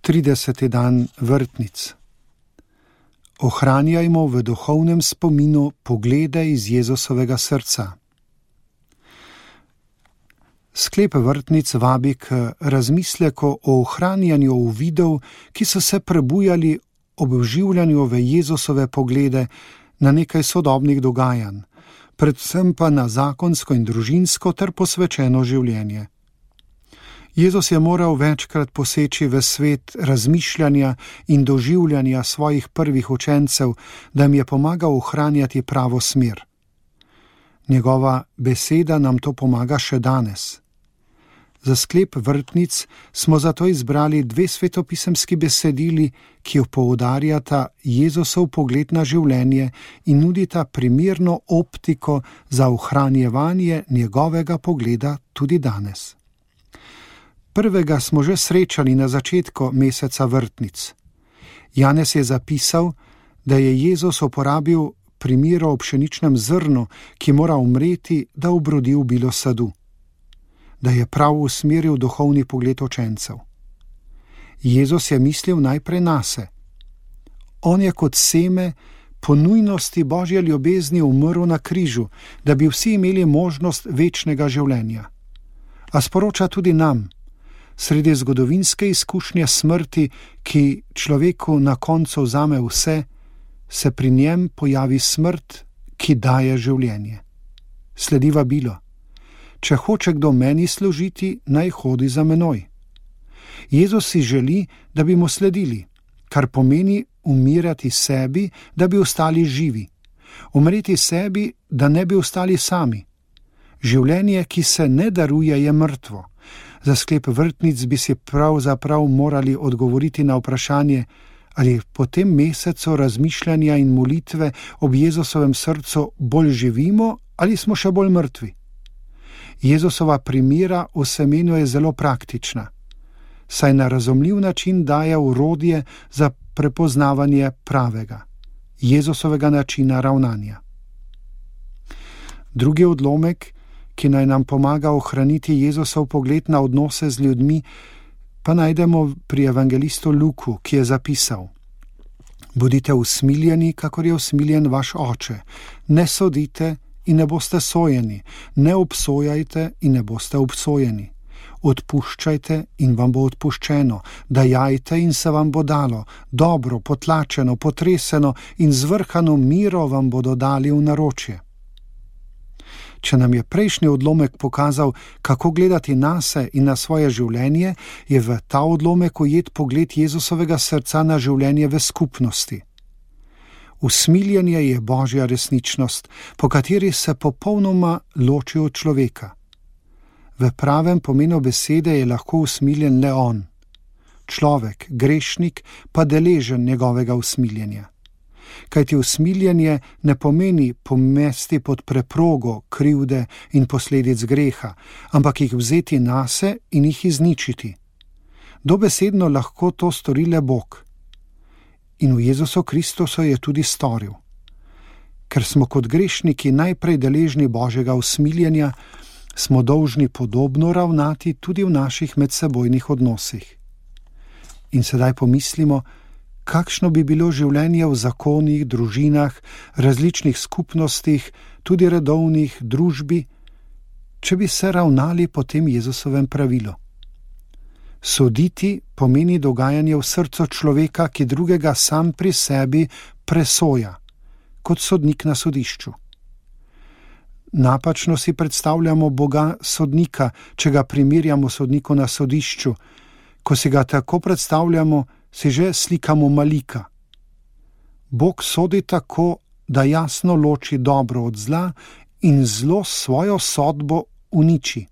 30. dan vrtnic. Ohranjajmo v duhovnem spominu poglede iz Jezusovega srca. Sklep vrtnic vabi k razmisleku o ohranjanju uvidov, ki so se prebujali ob vživljanju v Jezusove poglede na nekaj sodobnih dogajanj, predvsem pa na zakonsko in družinsko ter posvečeno življenje. Jezus je moral večkrat poseči v svet razmišljanja in doživljanja svojih prvih učencev, da jim je pomagal ohranjati pravo smer. Njegova beseda nam to pomaga še danes. Za sklep vrtnic smo zato izbrali 2 svetopisemski besedili, ki poudarjata Jezusov pogled na življenje in nudita primerno optiko za ohranjevanje njegovega pogleda tudi danes. Prvega smo že srečali na začetku meseca vrtnic. Janez je zapisal, da je Jezus uporabil primer o pšeničnem zrnu, ki mora umreti, da obrodi v bilo sadu. Da je prav usmeril duhovni pogled učencev. Jezus je mislil najprej nase. On je kot seme po nujnosti Božje ljubezni umrl na križu, da bi vsi imeli možnost večnega življenja. A sporoča tudi nam, sredi zgodovinske izkušnje smrti, ki človeku na koncu vzame vse, se pri njem pojavi smrt, ki daje življenje. Sledi vabilo. Če hoče kdo meni služiti, naj hodi za menoj. Jezus si želi, da bi mu sledili, kar pomeni umirati sebi, da bi ostali živi. Umreti sebi, da ne bi ostali sami. Življenje, ki se ne daruje, je mrtvo. Za sklep vrtnic bi si pravzaprav morali odgovoriti na vprašanje, ali po tem mesecu razmišljanja in molitve ob Jezusovem srcu bolj živimo ali smo še bolj mrtvi. Jezusova primera v semenu je zelo praktična, saj na razumljiv način daje orodje za prepoznavanje pravega, Jezusovega načina ravnanja. Drugi odlomek, ki naj nam pomaga ohraniti Jezusov pogled na odnose z ljudmi, pa najdemo pri evangelistu Luku, ki je zapisal: Bodite usmiljeni, kakor je usmiljen vaš oče, ne sodite in ne boste sojeni, ne obsojajte in ne boste obsojeni. Odpuščajte in vam bo odpuščeno, dajajte in se vam bo dalo, dobro, potlačeno, potreseno in zvrhano miro vam bodo dali v naročje. Če nam je prejšnji odlomek pokazal, kako gledati nase in na svoje življenje, je v ta odlomek ujet pogled Jezusovega srca na življenje v skupnosti. Usmiljenje je Božja resničnost, po kateri se popolnoma loči od človeka. V pravem pomenu besede je lahko usmiljen le on. Človek, grešnik, pa deležen njegovega usmiljenja. Kajti usmiljenje ne pomeni pomesti pod preprogo krivde in posledic greha, ampak jih vzeti nase in jih izničiti. Dobesedno lahko to stori le Bog. In v Jezusu Kristusu je tudi storil. Ker smo kot grešniki najprej deležni Božjega usmiljenja, smo dolžni podobno ravnati tudi v naših medsebojnih odnosih. In sedaj pomislimo, kakšno bi bilo življenje v zakonih, družinah, različnih skupnostih, tudi redovnih, družbi, če bi se ravnali po tem Jezusovem pravilu. Soditi pomeni dogajanje v srcu človeka, ki drugega sam pri sebi presoja, kot sodnik na sodišču. Napačno si predstavljamo Boga sodnika, če ga primerjamo sodniku na sodišču. Ko si ga tako predstavljamo, si že slikamo malika. Bog sodi tako, da jasno loči dobro od zla in zlo svojo sodbo uniči.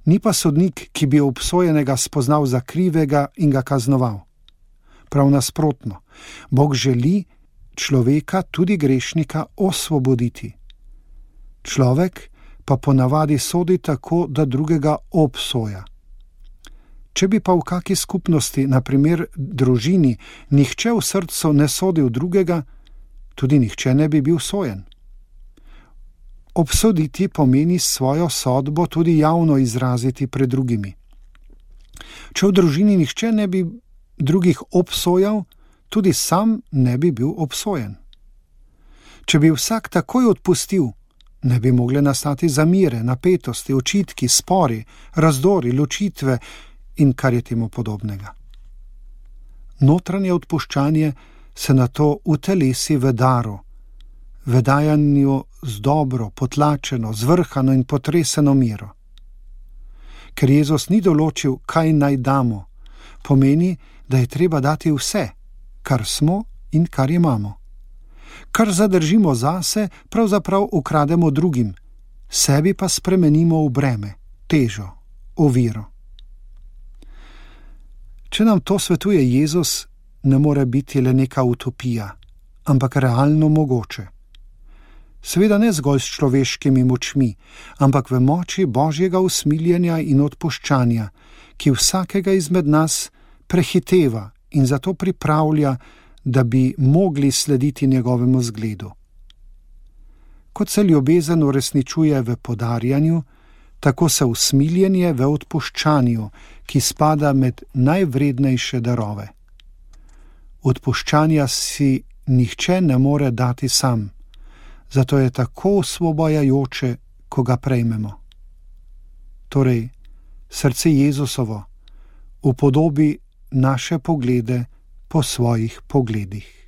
Ni pa sodnik, ki bi obsojenega spoznal za krivega in ga kaznoval. Prav nasprotno, Bog želi človeka, tudi grešnika, osvoboditi. Človek pa ponavadi sodi tako, da drugega obsoja. Če bi pa v kaki skupnosti, na primer družini, nihče v srcu ne sodil drugega, tudi nihče ne bi bil sojen. Obsoditi pomeni svojo sodbo tudi javno izraziti pred drugimi. Če v družini nihče ne bi drugih obsojal, tudi sam ne bi bil obsojen. Če bi vsak takoj odpustil, ne bi mogle nastati zamire, napetosti, očitki, spori, razdori, ločitve in kar je temu podobnega. Notranje odpuščanje se nato utelesi v daru, v dajanju z dobro, potlačeno, zvrhano in potreseno miro. Ker Jezus ni določil, kaj naj damo, pomeni, da je treba dati vse, kar smo in kar imamo. Kar zadržimo zase, pravzaprav ukrademo drugim, sebi pa spremenimo v breme, težo, oviro. Če nam to svetuje Jezus, ne more biti le neka utopija, ampak realno mogoče. Seveda ne zgolj s človeškimi močmi, ampak v moči Božjega usmiljenja in odpuščanja, ki vsakega izmed nas prehiteva in zato pripravlja, da bi mogli slediti njegovemu zgledu. Kot se ljubezen uresničuje v podarjanju, tako se usmiljenje v odpuščanju, ki spada med najvrednejše darove. Odpuščanja si nihče ne more dati sam, zato je tako osvobajajoče, ko ga prejmemo. Torej, srce Jezusovo upodobi naše poglede po svojih pogledih.